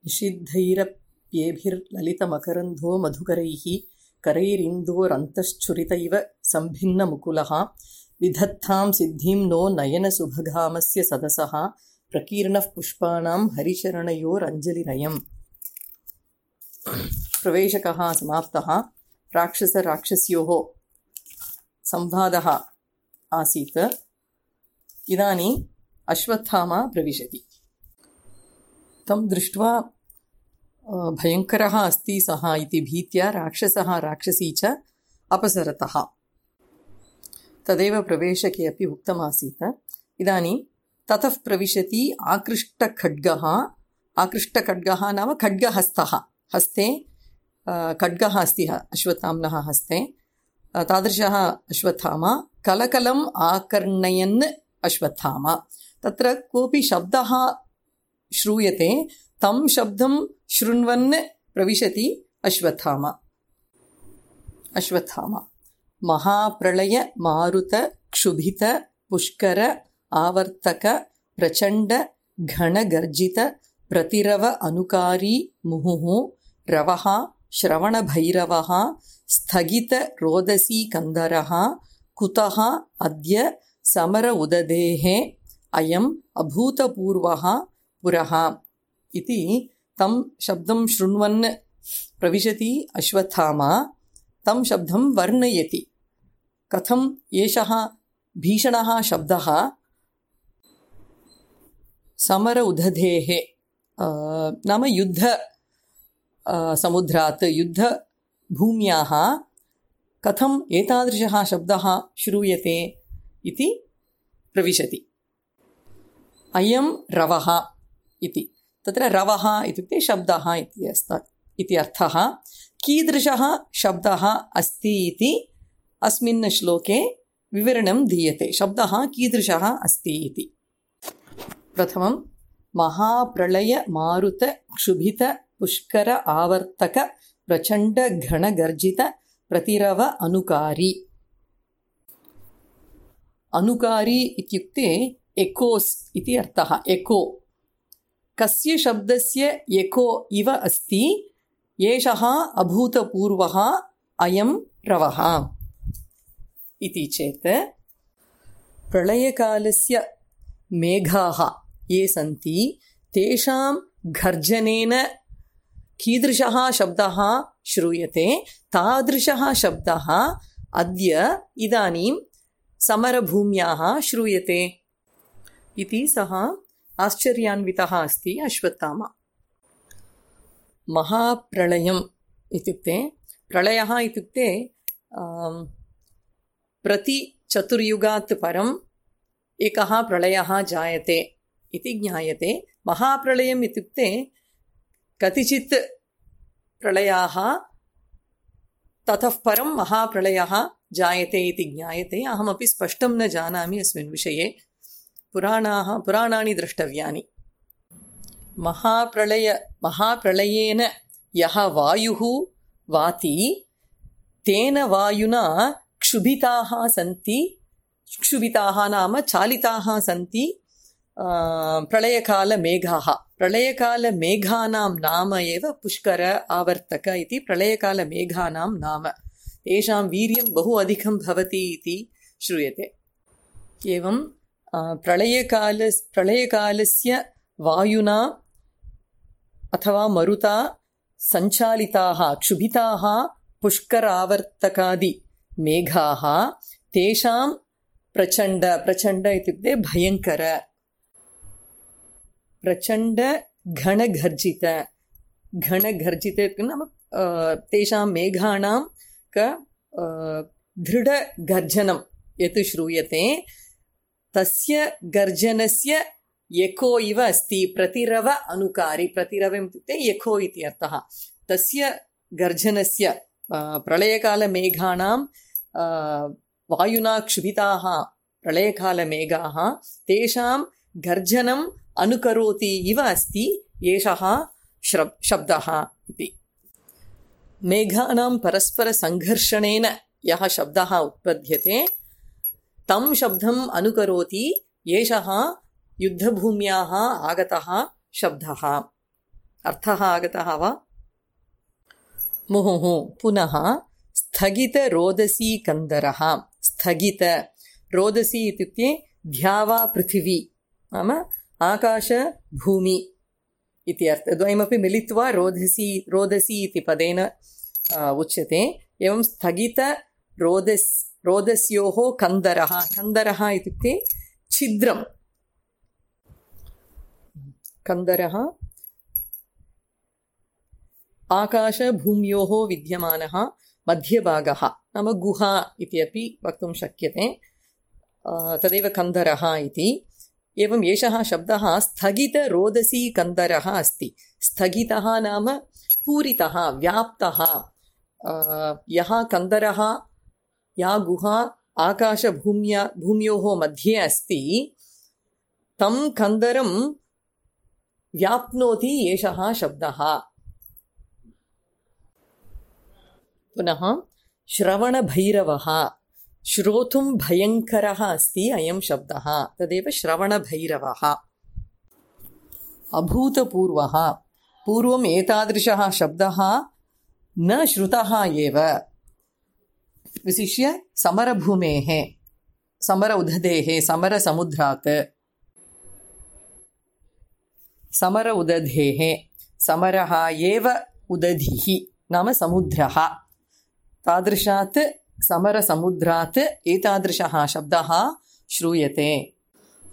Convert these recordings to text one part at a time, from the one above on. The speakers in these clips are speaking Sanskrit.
निषिद्धैरप्येभिर्ललितमकरन्धो मधुकरैः करैरिन्दोरन्तश्छुरित इव सम्भिन्नमुकुलः विधत्तां सिद्धिं नो नयनसुभगामस्य सदसः प्रकीर्णः पुष्पाणां हरिचरणयोरञ्जलिरयम्। प्रवेशकः समाप्तः। राक्षसराक्षस्योः संवादः आसीत्। इदानीम् अश्वत्थामा प्रविशति। तं दृष्ट्वा भयङ्करः अस्ति सः इति भीत्या राक्षसः राक्षसी च अपसरतः। तदेव प्रवेशके अपि उक्तमासीत्। इदानीं ततः प्रविशति आकृष्टखड्गः नाम खड्गहस्तः। हस्ते खड्गः अस्ति अश्वत्थाम्नः हस्ते। तादृशः अश्वत्थामा कलकलम् आकर्णयन् अश्वत्थामा। तत्र कोऽपि शब्दः श्रूयते। तं शब्दं शृण्वन् प्रविशति अश्वत्थामा। महाप्रलय मारुत क्षुभित पुष्कर आवर्तक प्रचण्ड घनगर्जित प्रतिरव अनुकारी मुहुः रवः श्रवणभैरवः स्थगित रोदसी कंदरः कुतः अद्य समर उददेः अयम् अभूतपूर्वः पुरः इति तं शब्दं शृण्वन् प्रविशति अश्वत्थामा। तं शब्दं वर्णयति। कथम् एषः भीषणः शब्दः समर उदधेः नाम युद्ध समुद्रात् युद्धभूम्याः कथम् एतादृशः शब्दः श्रूयते इति प्रविशति। अयं रवः इति। तत्र रवः इत्युक्ते शब्दः इति अर्थः। कीदृशः शब्दः अस्ति इति अस्मिन् श्लोके विवरणं दीयते। शब्दः कीदृशः अस्ति इति। प्रथमं महाप्रलय मारुत क्षुभित पुष्कर आवर्तक प्रचण्ड घनगर्जित प्रतिरव अनुकारी। अनुकारी इत्युक्ते एकोस् इति अर्थः। एको कस्य शब्दस्य एको इव अस्ति एषः अभूतपूर्वः अयं रवः इति चेत् प्रलयकालस्य मेघाः ये सन्ति तेषां गर्जनेन कीदृशः शब्दः श्रूयते तादृशः शब्दः अद्य इदानीं समरभूम्याः श्रूयते इति सः आश्चर्यान्वितः अस्ति अश्वत्थामा। महाप्रलयम् इत्युक्ते प्रलयः इत्युक्ते प्रति चतुर्युगात् परम् एकः प्रलयः जायते इति ज्ञायते। महाप्रलयम् इत्युक्ते कतिचित् प्रलयाः ततः परं महाप्रलयः जायते इति ज्ञायते। अहमपि स्पष्टं न जानामि अस्मिन् विषये। पुराणानि द्रष्टव्यानि। महाप्रलयेन यः वायुः वाति तेन वायुना क्षुभिताः सन्ति। क्षुभिताः नाम चालिताः सन्ति प्रलयकालमेघाः। प्रलयकालमेघानां नाम एव पुष्कर आवर्तक इति प्रलयकालमेघानां नाम। तेषां वीर्यं बहु अधिकं भवति इति श्रूयते। एवं प्रलयकालस्य वायुना अथवा मरुता सञ्चालिताः क्षुभिताः पुष्करावर्तकादि मेघाः तेषां प्रचण्ड इत्युक्ते भयङ्कर प्रचण्ड घनगर्जित नाम तेषां मेघानां दृढगर्जनं यत् श्रूयते तस्य गर्जनस्य एको इव अस्ति। प्रतिरव अनुकारी। प्रतिरवम् इत्युक्ते एको इति अर्थः। तस्य गर्जनस्य प्रलयकालमेघानां वायुना क्षुभिताः प्रलयकालमेघाः तेषां गर्जनम् अनुकरोति इव अस्ति एषः शब्दः इति। मेघानां परस्परसङ्घर्षणेन यः शब्दः उत्पद्यते तं शब्दम् अनुकरोति एषः युद्धभूम्याः आगतः शब्दः। अर्थः आगतः वा? मुहुः पुनः स्थगितरोदसी कन्दरः। स्थगित रोदसी इत्युक्ते ध्यावा पृथिवी नाम आकाश भूमि इति अर्थः। द्वयमपि मिलित्वा रोदसी इति पदेन उच्यते। एवं रोदस्योः कन्दरः। कन्दरः इत्युक्ते छिद्रं। कन्दरः आकाशभूम्योः विद्यमानः मध्यभागः नाम गुहा इति अपि वक्तुं शक्यते। तदेव कन्दरः इति। एवं एषः शब्दः स्थगितरोदसी कन्दरः अस्ति। स्थगितः नाम पूरितः, व्याप्तः। यः कन्दरः, या गुहा आकाशभूम्योः मध्ये अस्ति, तं कन्दरं व्याप्नोति एषः शब्दः। पुनः श्रवणभैरवः। श्रोतुं भयङ्करः अस्ति अयं शब्दः, तदेव श्रवणभैरवः। अभूतपूर्वः। पूर्वम् एतादृशः शब्दः न श्रुतः एव। विशिष्य समरभूमेः, समर उदधेः, समरसमुद्रात्। समर उदधेः, समरः एव उदधिः नाम समुद्रः। तादृशात् समरसमुद्रात् एतादृशः शब्दः श्रूयते।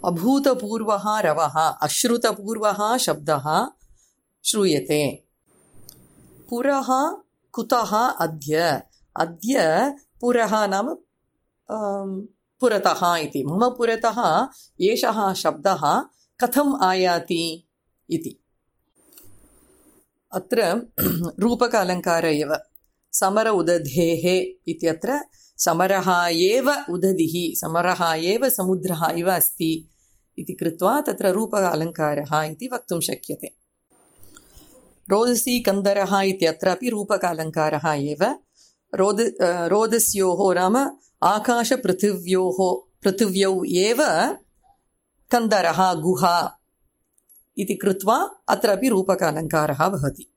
अभूतपूर्वः रवः। अश्रुतपूर्वः शब्दः श्रूयते। पुरः कुतः अद्य। अद्य पुरः नाम पुरतः इति। मम पुरतः एषः शब्दः कथम् आयाति इति। अत्र रूपक अलङ्कार एव। समर उदधेः इत्यत्र समरः एव उदधिः, समरः एव समुद्रः इव अस्ति इति कृत्वा तत्र रूपक अलङ्कारः इति वक्तुं शक्यते। रोदसी कन्दरः इत्यत्रापि रूपक अलङ्कारः एव। रोदस्योः नाम आकाशपृथिव्यौ एव कन्दरः गुहा इति कृत्वा अत्रापि रूपक अलङ्कारः भवति।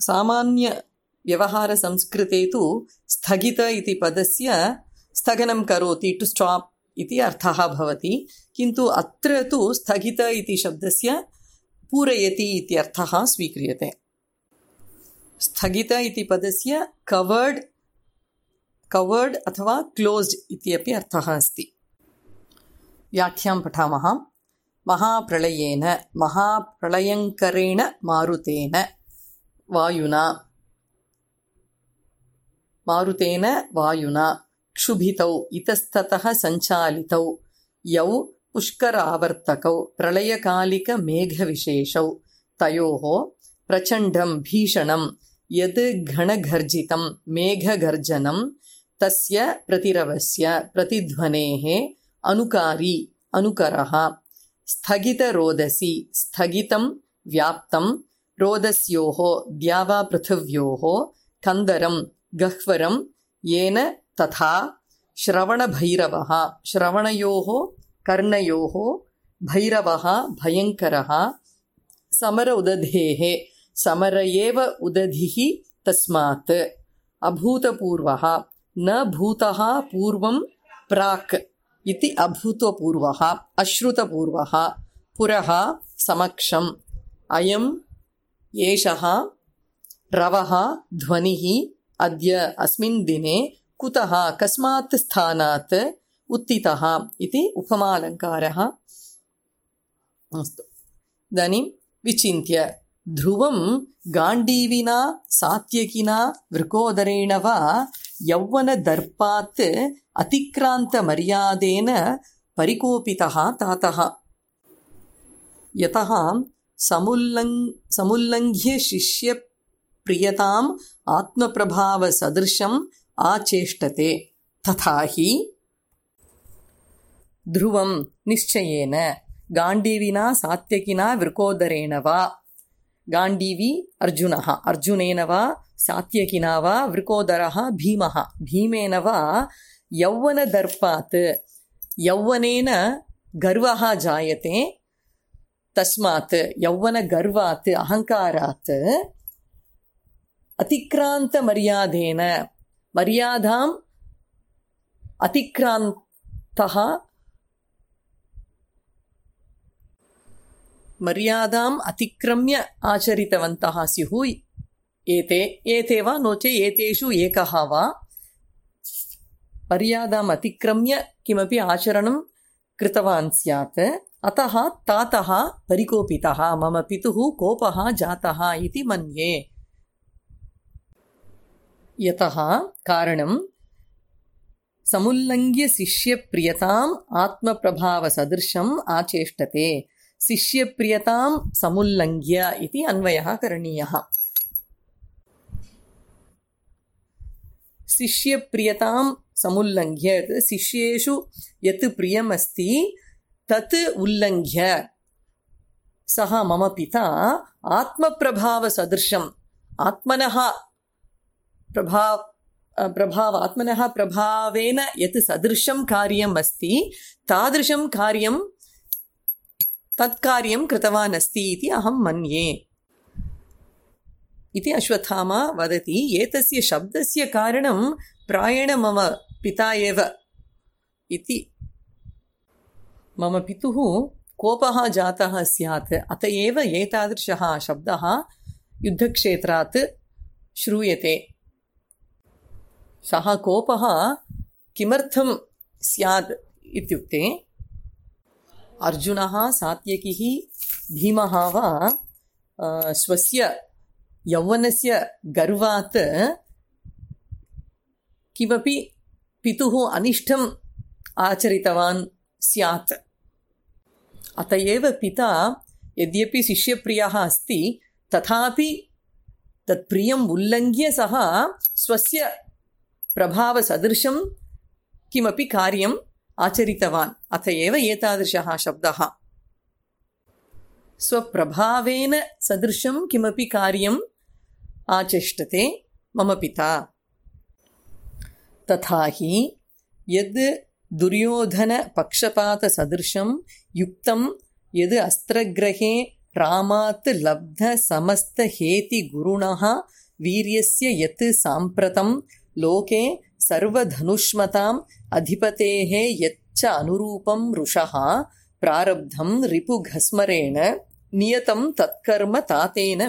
सामान्यव्यवहारसंस्कृते तु स्थगित इति पदस्य स्थगनं करोति, टु स्टाप् इति अर्थः भवति। किन्तु अत्र तु स्थगित इति शब्दस्य पूरयति इति अर्थः स्वीक्रियते। स्थगित इति पदस्य कवर्ड् अथवा क्लोज्ड् इत्यपि अर्थः अस्ति। व्याख्यां पठामः। महाप्रलयेन, महाप्रलयङ्करेण मारुतेन वायुना क्षुभितौ इतस्ततः सञ्चालितौ यौ पुष्करावर्तकौ प्रलयकालिकमेघविशेषौ तयोः प्रचण्डं भीषणं यद् घनघर्जितं मेघगर्जनं तस्य प्रतिरवस्य प्रतिध्वनेः अनुकारी अनुकरः। स्थगितरोदसी स्थगितं व्याप्तं रोदस्योः द्यावापृथिव्योः कन्दरं गह्वरं येन तथा श्रवणभैरवः श्रवणयोः कर्णयोः भैरवः भयङ्करः समर उदधेः समर एव उदधिः तस्मात् अभूतपूर्वः न भूतः पूर्वं प्राक् इति अभूतपूर्वः अश्रुतपूर्वः पुरः समक्षम् अयम् एषः रवः ध्वनिः अद्य अस्मिन् दिने कुतः कस्मात् स्थानात् उत्थितः इति उपमालङ्कारः। अस्तु, इदानीं विचिन्त्य ध्रुवं गाण्डीविना सात्यकिना वृकोदरेण वा यौवनदर्पात् अतिक्रान्तमर्यादेन परिकोपितः तातः यतः समुल्लङ्घ्य शिष्यप्रियताम् आत्मप्रभावसदृशम् आचेष्टते तथा हि ध्रुवं निश्चयेन गाण्डीविना सात्यकिना वृकोदरेण वा गाण्डीवी अर्जुनः अर्जुनेन वा सात्यकिना वा वृकोदरः भीमः भीमेन वा यौवनदर्पात् यौवनेन गर्वः जायते तस्मात् यौवनगर्वात् अहङ्कारात् अतिक्रान्तमर्यादेन मर्यादाम् अतिक्रान्तः मर्यादाम् अतिक्रम्य आचरितवन्तः स्युः एते वा नो चेत् एतेषु एकः वा मर्यादाम् अतिक्रम्य किमपि आचरणं कृतवान् स्यात् अतः तातः परिकोपितः मम पितुः कोपः जातः इति मन्ये। यतः कारणं समुल्लङ्घ्य शिष्यप्रियताम् आत्मप्रभावसदृशम् आचेष्टते। शिष्यप्रियतां समुल्लङ्घ्य इति अन्वयः करणीयः। शिष्यप्रियतां समुल्लङ्घ्य शिष्येषु यत् प्रियमस्ति तत् उल्लङ्घ्य सः मम पिता आत्मप्रभावसदृशम् आत्मनः प्रभावेन यत् सदृशं कार्यम् अस्ति तादृशं कार्यं तत्कार्यं कृतवान् अस्ति इति अहं मन्ये इति अश्वत्थामा वदति। एतस्य शब्दस्य कारणं प्रायेण मम पिता एव इति। मम पितुः कोपः जातः स्यात् अत एव एतादृशः शब्दः युद्धक्षेत्रात् श्रूयते। सः कोपः किमर्थं स्यात् इत्युक्ते अर्जुनः सात्यकिः भीमः वा स्वस्य यौवनस्य गर्वात् किमपि पितुः अनिष्टम् आचरितवान् स्यात्। अत एव पिता यद्यपि शिष्यप्रियः अस्ति तथापि तत्प्रियम् उल्लङ्घ्य सः स्वस्य प्रभावसदृशं किमपि कार्यम् आचरितवान्। अत एव एतादृशः शब्दः। स्वप्रभावेन सदृशं किमपि कार्यम् आचेष्टते मम पिता। तथा हि यद् दुर्योधनपक्षपातसदृशं युक्तं यद् अस्त्रग्रहे रामात् लब्धसमस्तहेतिगुरुणः वीर्यस्य यत् साम्प्रतं लोके सर्वधनुष्मताम् अधिपतेः यच्च अनुरूपं रुषः प्रारब्धं रिपुघस्मरेण नियतं तत्कर्म तातेन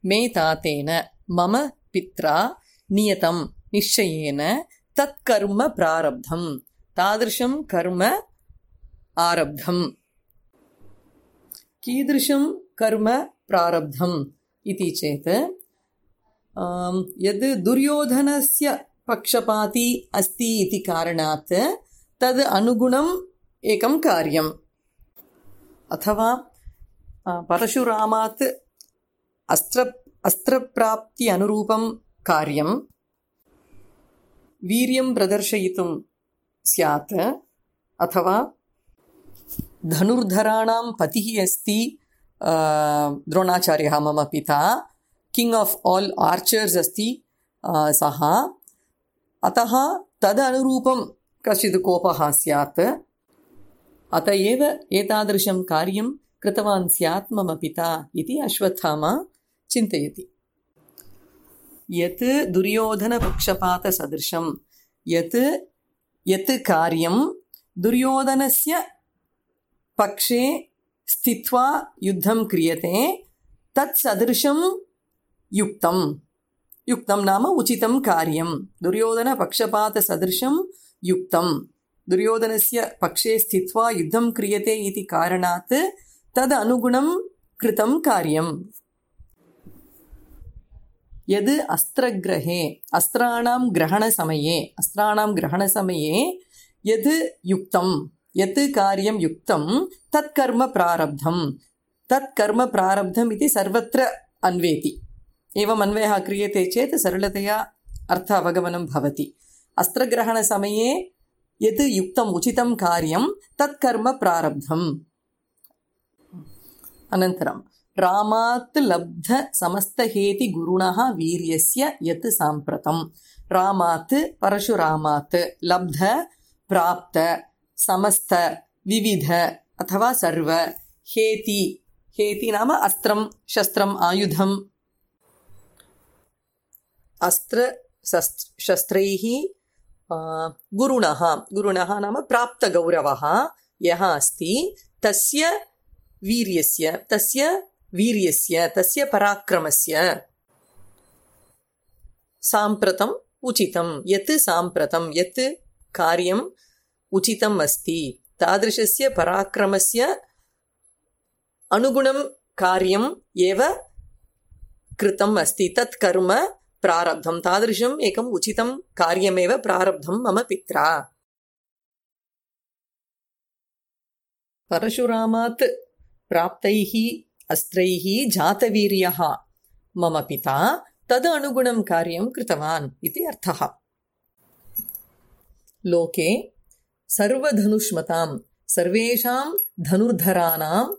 मे तातेन मम पित्रा नियतं निश्चयेन तत्कर्म प्रारब्धं तादृशं कर्म आरब्धम्। कीदृशं कर्म प्रारब्धम् इति चेत् यद् दुर्योधनस्य पक्षपाती अस्ति इति कारणात् तद् अनुगुणम् एकं कार्यम्। अथवा परशुरामात् अस्त्रप्राप्ति अनुरूपं कार्यं वीर्यं प्रदर्शयितुं स्यात्। अथवा धनुर्धराणां पतिः अस्ति द्रोणाचार्यः मम पिता किङ्ग् आफ् आल् आर्चर्स् अस्ति सः। अतः तदनुरूपं कश्चित् कोपः स्यात्। अत एव एतादृशं कार्यं कृतवान् स्यात् मम पिता इति अश्वत्थामा चिन्तयति। यत् दुर्योधनपक्षपातसदृशं यत् कार्यं दुर्योधनस्य पक्षे स्थित्वा युद्धं क्रियते तत्सदृशं युक्तं नाम उचितं कार्यं। दुर्योधनपक्षपातसदृशं युक्तं दुर्योधनस्य पक्षे स्थित्वा युद्धं क्रियते इति कारणात् तदनुगुणं कृतं कार्यम्। यद् अस्त्रग्रहे अस्त्राणां ग्रहणसमये यद् युक्तं यत् कार्यं युक्तं तत्कर्म प्रारब्धम् इति सर्वत्र अन्वेति। एवम् अन्वयः क्रियते चेत् सरलतया अर्थ अवगमनं भवति। अस्त्रग्रहणसमये यत् युक्तम् उचितं कार्यं तत्कर्म प्रारब्धम्। अनन्तरं रामात् लब्ध समस्तहेति गुरुणः वीर्यस्य यत् साम्प्रतं। रामात् परशुरामात् लब्ध प्राप्त समस्त विविध अथवा सर्व। हेति, हेति नाम अस्त्रं, शस्त्रम्, आयुधम्। अस्त्र शस्त्रैः गुरुणः, गुरुणः नाम प्राप्तगौरवः यः अस्ति, तस्य वीर्यस्य, तस्य पराक्रमस्य साम्प्रतम् उचितं, यत् साम्प्रतं, यत् कार्यम् उचितम् अस्ति, तादृशस्य पराक्रमस्य अनुगुणं कार्यम् एव कृतम् अस्ति, तत् कर्म प्रारब्धं, तादृशम् एकम् उचितं कार्यमेव प्रारब्धं मम पित्रा। परशुरामात् प्राप्तैः अस्त्रैः जातवीर्यः मम पिता तद् अनुगुणं कार्यं कृतवान् इति अर्थः। लोके सर्वधनुष्मतां, सर्वेषां धनुर्धराणाम्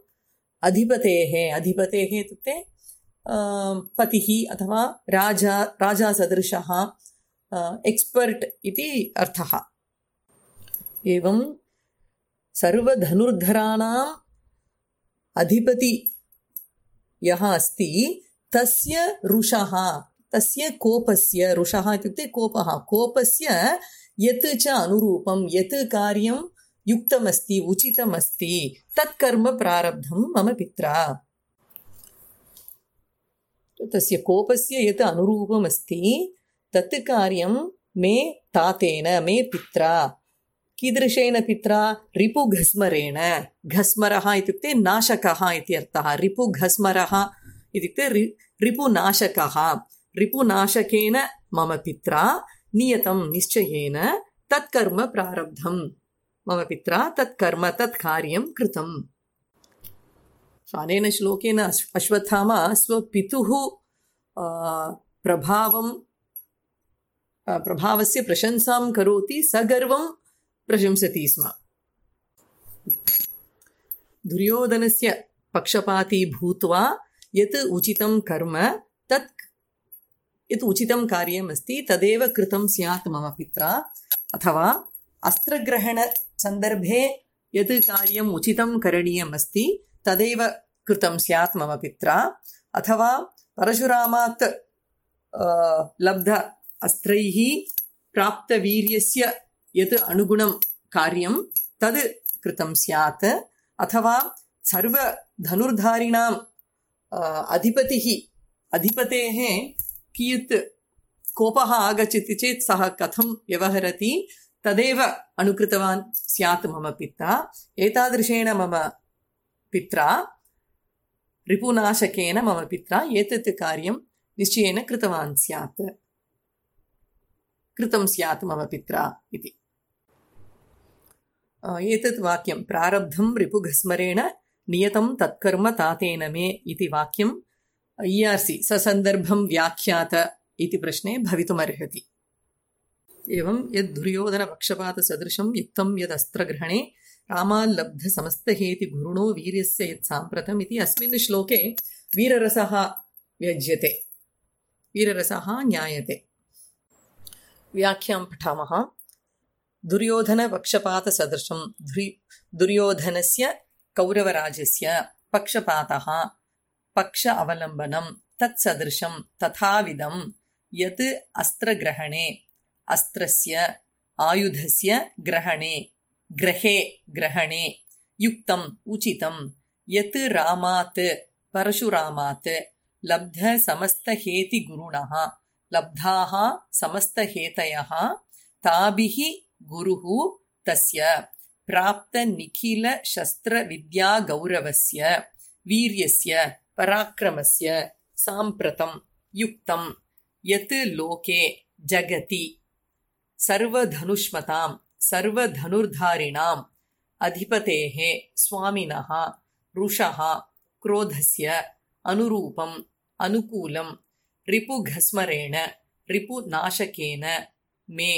अधिपतेः, अधिपतेः इत्युक्ते पतिः अथवा राजा सदृशः, एक्स्पर्ट् इति अर्थः। एवं सर्वधनुर्धराणाम् अधिपति यः अस्ति, तस्य रुषः, तस्य कोपस्य, रुषः इत्युक्ते कोपः, कोपस्य यत् च अनुरूपं, यत् कार्यं युक्तमस्ति, उचितमस्ति, तत् कर्म प्रारब्धं मम पित्रा। तस्य कोपस्य यत् अनुरूपमस्ति तत् कार्यं मे तातेन, मे पित्रा। कीदृशेन पित्रा? रिपुघस्मरेण। घस्मरः इत्युक्ते नाशकः इति अर्थः। रिपुघस्मरः इत्युक्ते रिपुनाशकः। रिपुनाशकेन मम पित्रा नियतं, निश्चयेन तत् कर्म प्रारब्धं मम पित्रा, तत् कर्म, तत् कार्यं कृतम्। अनेन श्लोकेन अश्वत्थामा स्वपितुः प्रभावस्य प्रशंसां करोति, सगर्वं प्रशंसति स्म। दुर्योधनस्य पक्षपाती भूत्वा यत् उचितं कर्म, तत् यत् उचितं कार्यमस्ति तदेव कृतं स्यात् मम पित्रा। अथवा अस्त्रग्रहणसन्दर्भे यत् कार्यम् उचितं करणीयमस्ति तदेव कृतं स्यात् मम पित्रा। अथवा परशुरामात् लब्ध अस्त्रैः प्राप्तवीर्यस्य यत् अनुगुणं कार्यं तद् कृतं स्यात्। अथवा सर्वधनुर्धारिणाम् अधिपतेः कियत् कोपः आगच्छति चेत् सः कथं व्यवहरति तदेव अनुकृतवान् स्यात् मम पिता। एतादृशेन मम पित्रा, रिपुनाशकेन मम पित्रा एतत् कार्यं निश्चयेन कृतवान् स्यात्, कृतं स्यात् मम पित्रा इति। एतत् वाक्यं प्रारब्धं रिपुघस्मरेण नियतं तत्कर्म तातेन मे इति वाक्यं ERC ससन्दर्भं व्याख्यात इति प्रश्ने भवितुमर्हति। एवं यद् दुर्योधनपक्षपातसदृशं युक्तं यदस्त्रग्रहणे रामाल्लब्धसमस्तहेति गुरुणो वीर्यस्य यत् साम्प्रतम् इति अस्मिन् श्लोके वीररसः व्यज्यते, वीररसः ज्ञायते। व्याख्यां पठामः। दुर्योधनपक्षपातसदृशं, दुर्योधनस्य कौरवराजस्य पक्षपातः, पक्ष अवलम्बनं, तत्सदृशं तथाविधं यत् अस्त्रग्रहणे, अस्त्रस्य आयुधस्य ग्रहणे युक्तम् उचितं यत् रामात् परशुरामात् लब्धसमस्तहेति गुरुणः, लब्धाः समस्तहेतयः ताभिः गुरुः तस्य प्राप्तनिखिलशस्त्रविद्यागौरवस्य वीर्यस्य पराक्रमस्य साम्प्रतं युक्तं यत् लोके जगति सर्वधनुष्मतां सर्वधनुर्धारिणाम् अधिपतेः स्वामिनः रुषः क्रोधस्य अनुरूपम् अनुकूलं रिपुघस्मरेण रिपुनाशकेन मे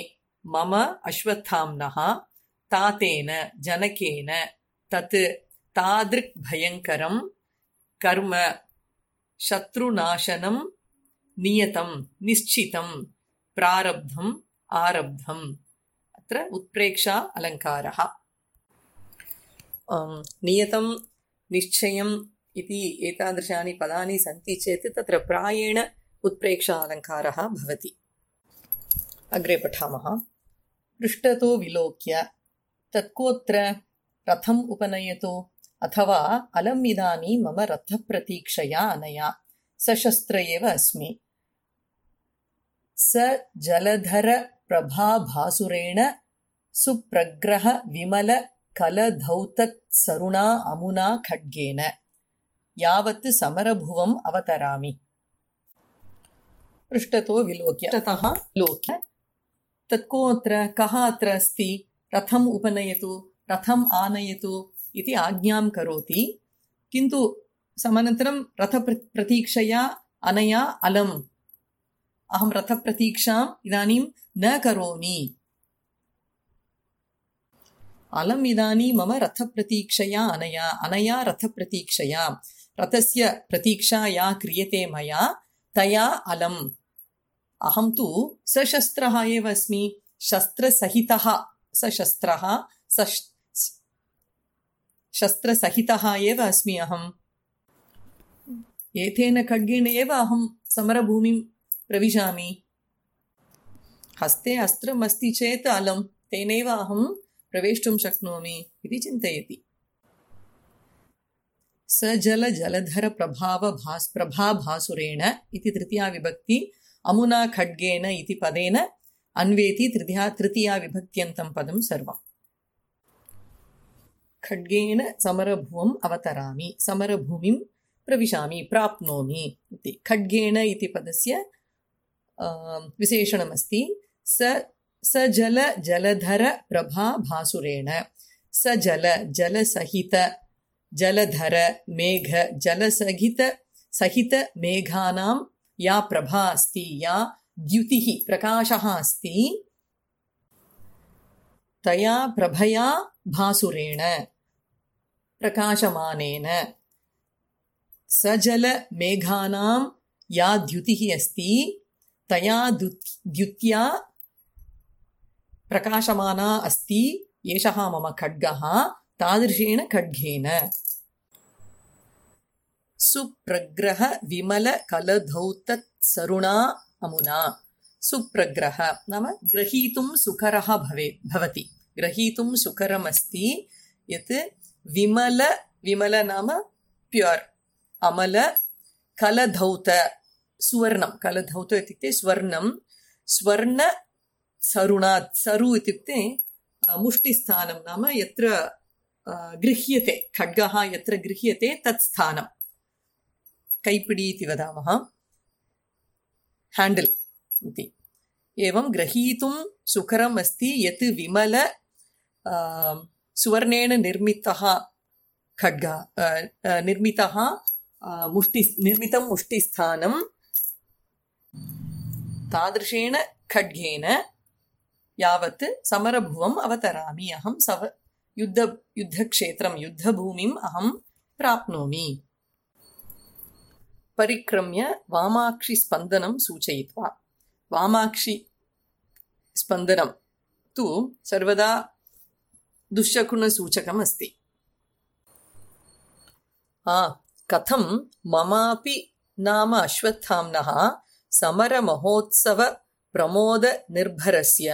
मम अश्वत्थाम्नः तातेन जनकेन तत् तादृक् भयङ्करं कर्म शत्रुनाशनं नियतं निश्चितं प्रारब्धम् आरब्धम्। अत्र उत्प्रेक्षा अलङ्कारः। नियतं निश्चयम् इति एतादृशानि पदानि सन्ति चेत् तत्र प्रायेण उत्प्रेक्षा अलङ्कारः भवति। अग्रे पठामः। पृष्ठतो विलोक्य तत्कोत्र रथम् उपनयतु अथवा अलम् इदानीं मम रथप्रतीक्षया अनया सशस्त्र एव अस्मि। स जलधर प्रभाभासुरेण सुप्रग्रह विमल कलधौतत् सरुणा अमुना खड्गेन यावत् समरभुवम् अवतरामि। पृष्ठतो विलोक्य ततः लोक्य तत्कोऽत्र कः अत्र अस्ति रथम् उपनयतु रथम् आनयतु इति आज्ञां करोति, किन्तु समनन्तरं रथप्रतीक्षया अनया अलम् अहं रथप्रतीक्षाम् इदानीं न करोमि। अलम् इदानीं मम रथप्रतीक्षया अनया रथप्रतीक्षया रथस्य प्रतीक्षा या क्रियते मया तया अलम्। अहं तु सशस्त्रः एव अस्मि, शस्त्रसहितः सशस्त्रः शस्त्रसहितः एव अस्मि अहम्। एतेन खड्गेन एव अहं समरभूमिं प्रविशामि। हस्ते अस्त्रम् अस्ति चेत् अलम्, तेनैव अहं प्रवेष्टुं शक्नोमि इति चिन्तयति। स जल जलधर प्रभाभासुरेण इति तृतीया विभक्ति अमुना खड्गेन इति पदेन अन्वेति तृतीया विभक्त्यन्तं पदं सर्वम्। खड्गेन समरभुवम् अवतरामि, समरभूमिं प्रविशामि, प्राप्नोमि इति। खड्गेन इति पदस्य विशेषणमस्ति। स जल जलधर प्रभाभासुरेण। स जल जलसहित जलधर मेघ जलसहित मेघानां या प्रभा अस्ति, या द्युतिः प्रकाशः अस्ति, तया प्रभया भासुरेण प्रकाशमानेन। सजल मेघानां या द्युतिः अस्ति तया द्युत्या प्रकाशमाना अस्ति एषः मम खड्गः, तादृशेन खड्गेन। सुप्रग्रह विमल कलधौतत् सरुणा अमुना। सुप्रग्रह नाम ग्रहीतुं सुकरः भवति, ग्रहीतुं सुकरमस्ति यत् विमल, विमल नाम प्योर्, अमल, कलधौत सुवर्णं, कलधौत इत्युक्ते स्वर्णं, स्वर्ण सरुणात्, सरु इत्युक्ते मुष्टिस्थानं नाम यत्र गृह्यते, खड्गः यत्र गृह्यते तत् स्थानं, कैपिडी इति वदामः, हैंडल इति। एवं ग्रहीतुं सुकरम् अस्ति यत् विमल सुवर्णेन निर्मितः खड्गः, निर्मितं मुष्टिस्थानं, तादृशेन खड्गेन यावत् समरभुवम् अवतरामि, अहं युद्धक्षेत्रं युद्धभूमिम् अहं प्राप्नोमि। परिक्रम्य वामाक्षि स्पन्दनं सूचयित्वा। वामाक्षि स्पन्दनं तु सर्वदा दुःशकुनसूचकम् अस्ति। कथं ममापि नाम अश्वत्थाम्नः समरमहोत्सव प्रमोद निर्भरस्य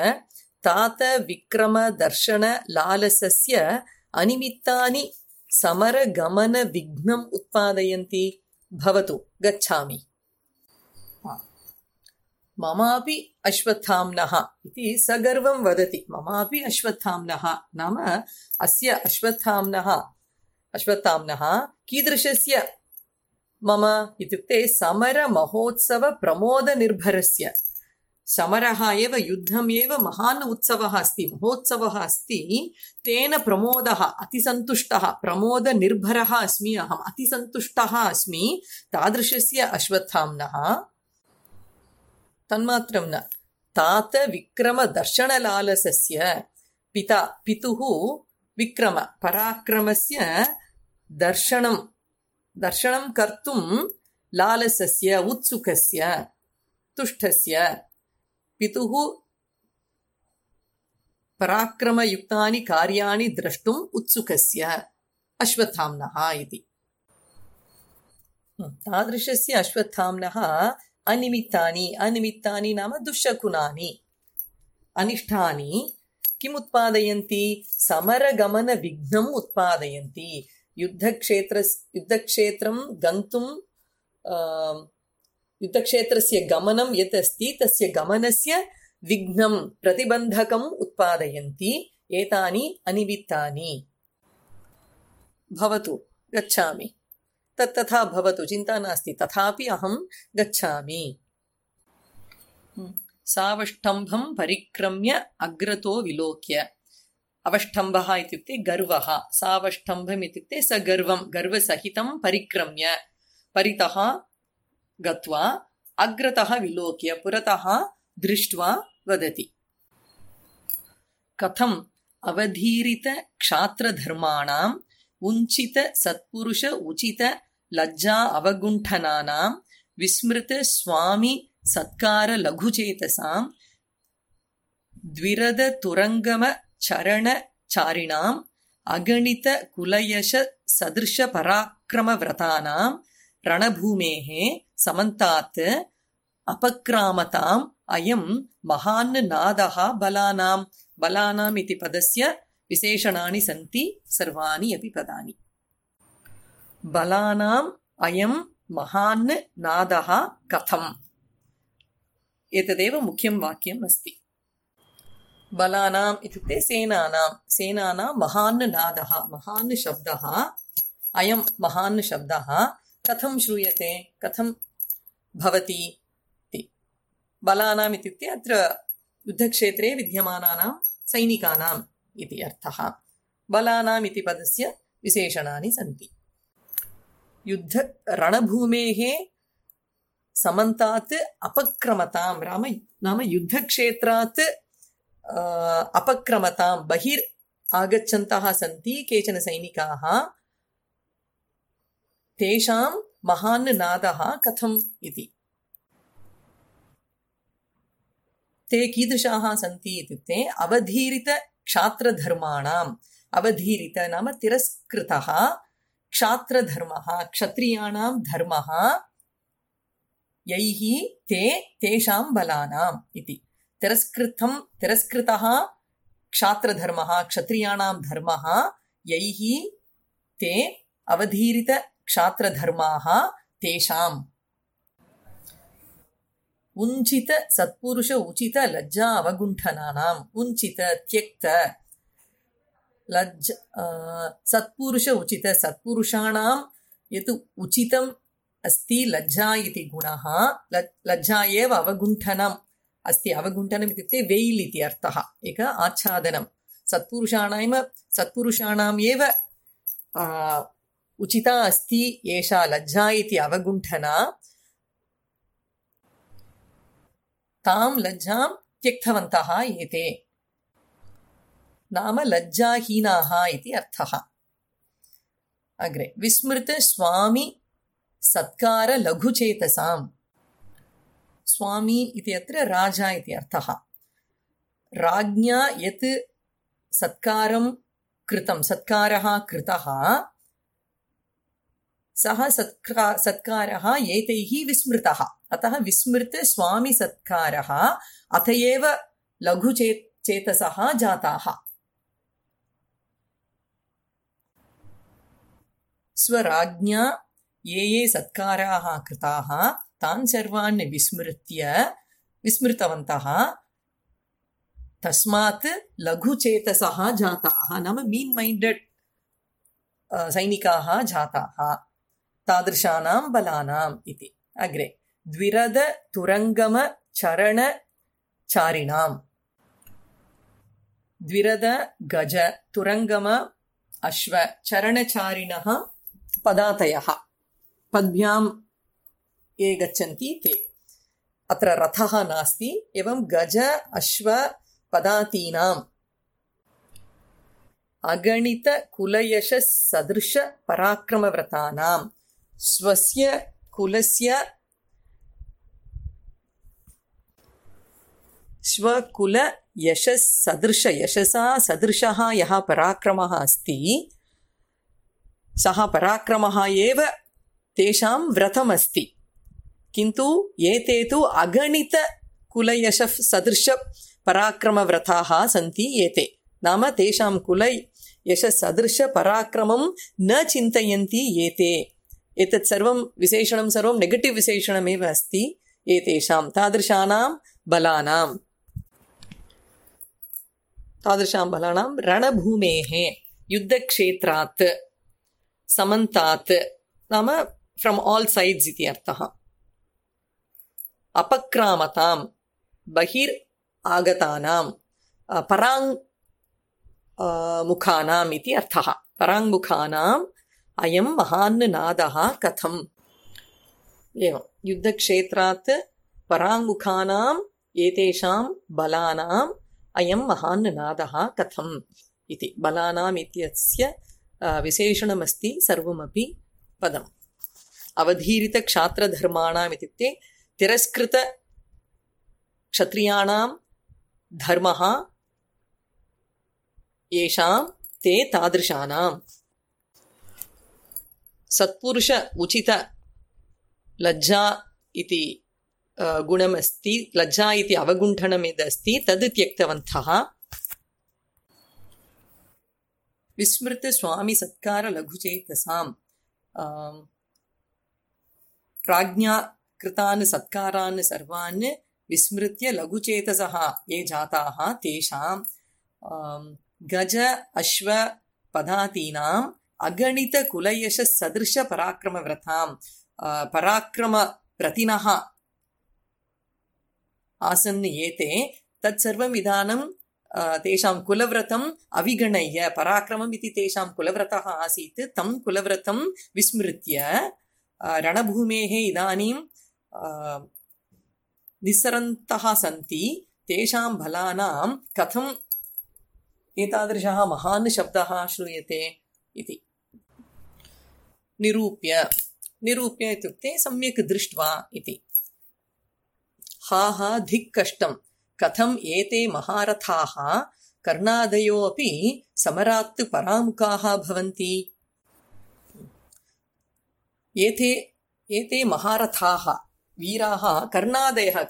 तात विक्रम दर्शन लालसस्य अनिमित्तानि समरगमन विघ्नम् उत्पादयन्ति। भवतु गच्छामि। ममापि अश्वत्थाम्नः इति सगर्वं वदति। ममापि अश्वत्थाम्नः नाम अस्य अश्वत्थाम्नः कीदृशस्य मम इत्युक्ते समरमहोत्सव प्रमोदनिर्भरस्य। समरः एव, युद्धम् एव महान् उत्सवः अस्ति, महोत्सवः अस्ति, तेन प्रमोदः, अतिसन्तुष्टः, प्रमोदनिर्भरः अस्मि अहम्, अतिसन्तुष्टः अस्मि तादृशस्य अश्वत्थाम्नः। तन्मात्रं न, तात विक्रम दर्शनलालसस्य पिता, पितुः विक्रम पराक्रमस्य दर्शनं कर्तुं लालसस्य उत्सुकस्य तुष्टस्य, पितुः पराक्रमयुक्तानि कार्याणि द्रष्टुम् उत्सुकस्य अश्वत्थाम्नः इति। तादृशस्य अश्वत्थाम्नः अनिमित्तानि, अनिमित्तानि नाम दुःशकुनानि, अनिष्टानि किम् उत्पादयन्ति? समरगमनविघ्नम् उत्पादयन्ति। युद्धक्षेत्रं गन्तुं युद्धक्षेत्रस्य गमनं यत् अस्ति तस्य गमनस्य विघ्नं प्रतिबन्धकम् उत्पादयन्ति एतानि अनिमित्तानि। भवतु गच्छामि, तथा भवतु, चिन्ता नास्ति, तथापि अहं गच्छामि। सावष्टम्भं परिक्रम्य अग्रतो विलोक्य। अवष्टम्भः इत्युक्ते गर्वः, सावष्टम्भम् इत्युक्ते सगर्वं, गर्वसहितं परिक्रम्य, परितः गत्वा, अग्रतः विलोक्य, पुरतः दृष्ट्वा वदति। कथम् अवधीरित क्षात्रधर्माणाम् उञ्चित सत्पुरुष उचित लज्जा अवगुण्ठनानां विस्मृत स्वामी सत्कार लघुचेतसां द्विरद तुरंगम चरण चारिणाम् अगणित कुलयश सदृश पराक्रम व्रतानां रणभूमेः समन्तात् अपक्रामताम् अयं महान् नादः बलानाम्। बलानाम् इति पदस्य विशेषणानि सन्ति, सर्वाणि अपि पदानि। बलानाम् अयं महान् नादः कथम्, एतदेव मुख्यं वाक्यम् अस्ति। बलानाम् इत्युक्ते सेनानां महान् नादः, महान् शब्दः, अयं महान् शब्दः कथं श्रूयते, कथं भवति इति। बलानाम् इत्युक्ते अत्र युद्धक्षेत्रे विद्यमानानां सैनिकानाम् इति अर्थः। बलानाम् इति पदस्य विशेषणानि सन्ति। रणभूमेः समन्तात् अपक्रमतां, नाम युद्धक्षेत्रात् अपक्रमतां, बहिर् आगच्छन्तः सन्ति केचन सैनिकाः, तेषां महान् नादः कथम् इति। ते कीदृशाः सन्ति इत्युक्ते अवधीरित क्षात्रधर्माणाम्, अवधीरित नाम तिरस्कृतः, क्षात्रधर्मः क्षत्रियाणां धर्मः, यैः तेषां बलानाम् इति। तिरस्कृतः क्षात्रधर्मः क्षत्रियाणां धर्मः, यैः ते अवधीरित क्षात्रधर्माः तेषाम्। उञ्चित सत्पुरुष उचित लज्जा अवगुण्ठनानाम्, उञ्चित त्यक्त, सत्पुरुष उचित, सत्पुरुषाणां यत् उचितम् अस्ति लज्जा इति गुणः, लज्जा एव अवगुण्ठनम् अस्ति। अवगुण्ठनम् इत्युक्ते वेय्ल् इति अर्थः, एक आच्छादनं। सत्पुरुषाणाम् एव उचिता अस्ति एषा लज्जा इति अवगुण्ठना, तां लज्जां त्यक्तवन्तः एते, नाम लज्जाहीनाः इति अर्थः। अग्रे विस्मृत स्वामी सत्कार लघुचेतसां। स्वामी इति अत्र राजा इति अर्थः। राज्ञा यत् सत्कारं कृतं, सत्कारः कृतः, सः सत्कारः एतैः विस्मृतः। अतः विस्मृत स्वामी सत्कारः अत एव लघुचेतसः जाताः। स्वराज्ञा ये सत्काराः कृताः तान् सर्वान् विस्मृतवन्तः, तस्मात् लघुचेतसः जाताः, नाम मीन् मैण्डेड् सैनिकाः जाताः, तादृशानां बलानाम् इति। अग्रे द्विरद तुरंगम चरण चारिणाम्। द्विरद गज, तुरंगम अश्व, चरणचारिणः पदातयः, पद्भ्यां ये गच्छन्ति ते। अत्र रथः नास्ति, एवं गज अश्व पदातीनाम् अगणित कुलयश सदृश पराक्रमव्रतानां, स्वस्य कुलस्य स्वकुल यशस् सदृश, यशसा सदृशः यः पराक्रमः अस्ति, सः पराक्रमः एव तेषां व्रतमस्ति। किन्तु एते तु अगणितकुलयशः सदृशपराक्रमव्रताः सन्ति एते। नाम तेषां कुलयशसदृशपराक्रमं न चिन्तयन्ति एते। एतत् सर्वं विशेषणं सर्वं नेगेटिव् विशेषणमेव अस्ति एतेषां तादृशानां बलानां रणभूमेः युद्धक्षेत्रात् समन्तात् नाम फ्रम् आल् सैड्स् इति अर्थः। अपक्रामतां बहिर् आगतानां पराङ्मुखानाम् इति अर्थः। पराङ्मुखानाम् अयं महान् नादः कथम्। एवं युद्धक्षेत्रात् पराङ्मुखानाम् एतेषां बलानाम् अयं महान् नादः कथम् इति। बलानाम् इत्यस्य विशेषणमस्ति सर्वमपि पदम्। अवधीरितक्षात्रधर्माणाम् इत्युक्ते तिरस्कृतक्षत्रियाणां धर्मः येषां ते तादृशानाम्। सत्पुरुष उचित लज्जा इति गुणमस्ति। लज्जा इति अवगुण्ठनम् यदस्ति तद् त्यक्तवन्तः। विस्मृत स्वामी सत्कार लघुचेतसां राज्ञा कृतान् सत्कारान् सर्वान् विस्मृत्य लघुचेतसः ये जाताः तेषां गज अश्व पदातीनाम् अगणितकुलयशसदृशपराक्रमव्रतां पराक्रमप्रतिनः आसन् एते। तत्सर्वम् इदानीं तेषां कुलव्रतम् अविगणय्य, पराक्रमम् इति तेषां कुलव्रतः आसीत्, तं कुलव्रतं विस्मृत्य रणभूमेः इदानीं निस्सरन्तः सन्ति। तेषां बलानां कथम् एतादृशः महान् शब्दः श्रूयते इति निरूप्य इत्युक्ते सम्यक् दृष्ट्वा इति। हा हा धिक् कष्टम् कथम् एते महारथाः कर्णादयो अपि समरात् परामुखाः भवन्ति। एते महारथाः वीराः कर्णादयः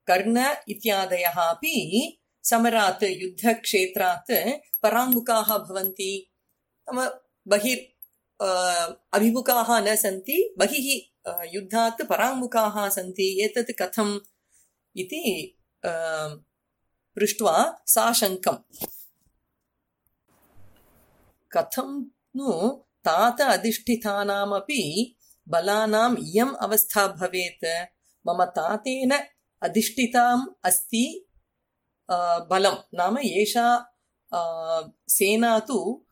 कर्ण इत्यादयः अपि समरात् युद्धक्षेत्रात् पराङ्मुखाः भवन्ति। बहिर् अभिमुखाः न सन्ति, बहिः युद्धात् पराङ्मुखाः सन्ति। एतत् कथम् इति पृष्ट्वा साशङ्कम्। कथं नु तात अधिष्ठितानामपि बलानाम् इयम् अवस्था भवेत्। मम तातेन अधिष्ठिताम् अस्ति बलं, नाम एषा सेना तु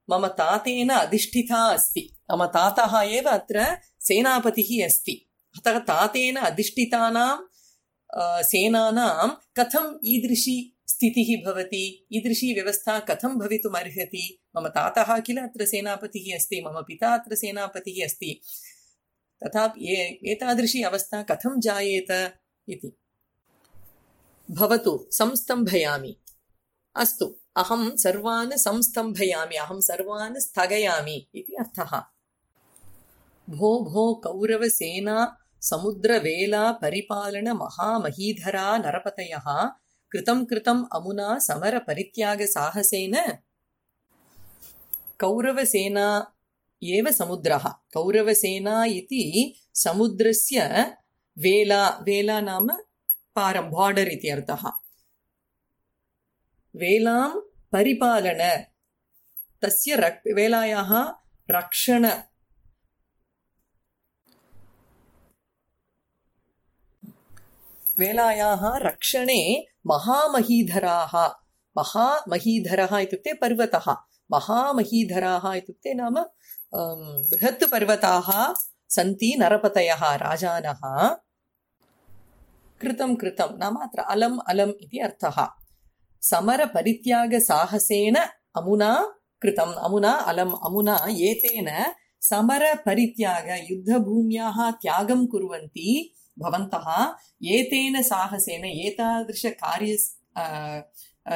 मम तातेन अधिष्ठिता अस्ति। मम तातः एव अत्र सेनापतिः अस्ति। अतः तातेन अधिष्ठितानां सेनानां कथम् ईदृशी स्थितिः भवति, ईदृशी व्यवस्था कथं भवितुम् अर्हति। मम तातः किल अत्र सेनापतिः अस्ति, मम पिता अत्र सेनापतिः अस्ति, तथापि एतादृशी अवस्था कथं जायेत इति। भवतु संस्तम्भयामि। अस्तु, अहं सर्वान् संस्तम्भयामि, अहं सर्वान् स्थगयामि इति अर्थः। भो भो कौरवसेना समुद्रवेला परिपालन महामहीधरा नरपतयः कृतम् अमुना समरपरित्यागसाहसेन। कौरवसेना एव समुद्रः। कौरवसेना इति समुद्रस्य वेला नाम पारं, बार्डर् इति अर्थः। वेलां परिपालन, तस्य वेलायाः रक्षण, वेलायाः रक्षणे महामहीधराः। महामहीधरः इत्युक्ते पर्वतः, महामहीधराः इत्युक्ते नाम बृहत् पर्वताः सन्ति, नरपतयः राजानः। कृतं नाम अत्र अलम् इति अर्थः। समरपरित्यागसाहसेन अमुना कृतम्। अमुना एतेन समरपरित्याग, युद्धभूम्याः त्यागं कुर्वन्ति भवन्तः। एतेन साहसेन,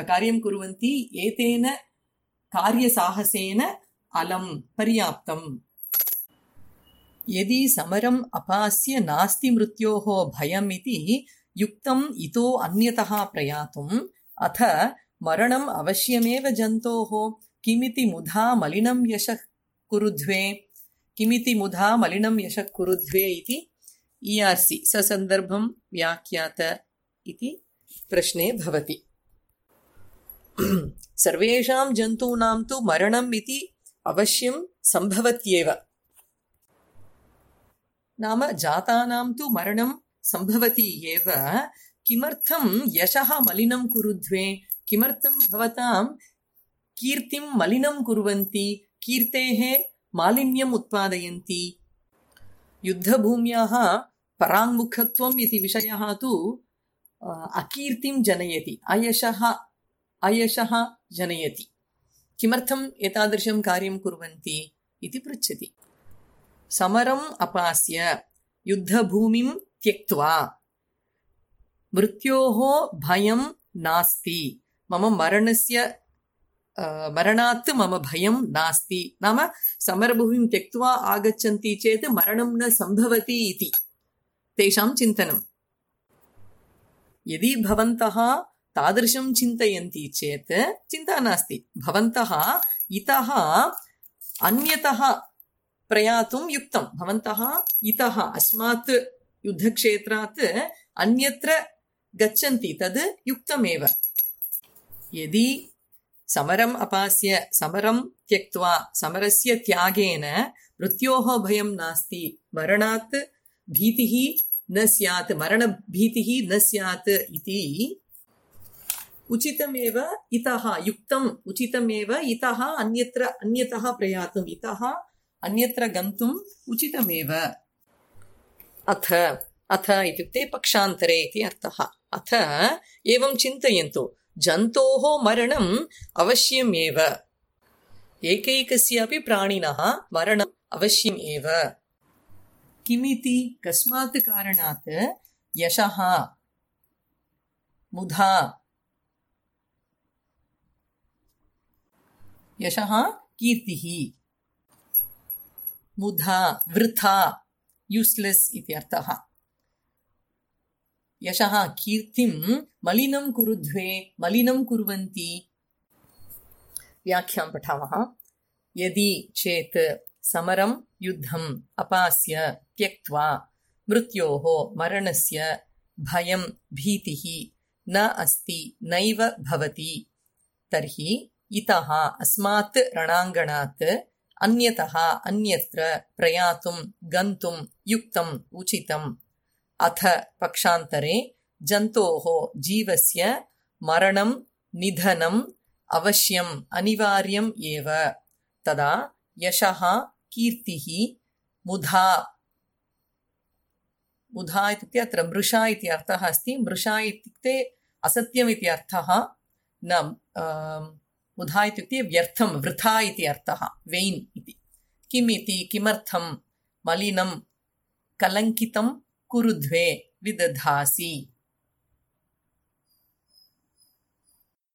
कार्यं कुर्वन्ति, एतेन कार्यसाहसेन अलं पर्याप्तम्। यदि समरम् अपास्य नास्ति मृत्योः भयम् इति युक्तम् इतो अन्यतः प्रयातुम् अथ मरणम् अवश्यमेव जन्तोः किमिति मुधा मलिनं यशः कुरुध्वे किमिति मुधा मलिनं यशः कुरुध्वे इति ERC ससन्दर्भं व्याख्यात इति प्रश्ने भवति। सर्वेषां जन्तूनां तु मरणम् इति अवश्यं सम्भवत्येव। नाम जातानां तु मरणं सम्भवति एव। किमर्थं यशः मलिनं कुरुध्वे? किमर्थं भवतां कीर्तिं मलिनं कुर्वन्ति, कीर्तेः मालिन्यम् उत्पादयन्ति? युद्धभूम्याः पराङ्मुखत्वम् इति विषयः तु अकीर्तिं जनयति, अयशः जनयति। किमर्थम् एतादृशं कार्यं कुर्वन्ति इति पृच्छति। समरम् अपास्य युद्धभूमिं त्यक्त्वा मृत्योः भयं नास्ति, मम मरणात् मम भयं नास्ति। नाम समरभूमिं त्यक्त्वा आगच्छन्ति चेत् मरणं न सम्भवति इति तेषां चिन्तनं। यदि भवन्तः तादृशं चिन्तयन्ति चेत् चिन्ता नास्ति, भवन्तः इतः अन्यतः प्रयातुं युक्तं। भवन्तः इतः अस्मात् युद्धक्षेत्रात् अन्यत्र गच्छन्ति, तद् युक्तमेव। यदि समरम् अपास्य समरं त्यक्त्वा समरस्य त्यागेन मृत्योः भयं नास्ति, मरणात् भीतिः न स्यात्, मरणभीतिः न स्यात् इति उचितमेव इतः युक्तम्, उचितमेव इतः अन्यतः प्रयातुम्, इतः अन्यत्र गन्तुम् उचितमेव। अथ इत्युक्ते पक्षान्तरे इति अर्थः। अथ एवं चिन्तयन्तु, जन्तोः मरणम् अवश्यम् एव, एकैकस्यापि प्राणिनः मरणम् अवश्यम् एव। किमिति? कस्मात् कारणात्? यशः, मुधा, यशः कीर्तिः, मुधा वृथा, यूस्लेस् इति अर्थः। यशः कीर्तिं मलिनं कुरुध्वे, मलिनं कुर्वन्ति। व्याख्यां पठामः। यदि चेत् समरं युद्धम् अपास्य त्यक्त्वा मृत्योः मरणस्य भयं भीतिः न अस्ति, नैव भवति, तर्हि इतः अस्मात् रणाङ्गणात् अन्यतः अन्यत्र प्रयातुं गन्तुं युक्तम् उचितम्। अथ पक्षान्तरे जन्तोः जीवस्य मरणं निधनम् अवश्यम् अनिवार्यम् एव। तदा यशः कीर्तिः मुधा, मुधा इत्युक्ते अत्र मृषा इति अर्थः अस्ति। मृषा इत्युक्ते असत्यम् इति अर्थः न, मुधा इत्युक्ते व्यर्थं, वृथा इति अर्थः, वेन् इति। किमिति? किमर्थं? मलिनं कलङ्कितं कुरुध्वे विदधासि।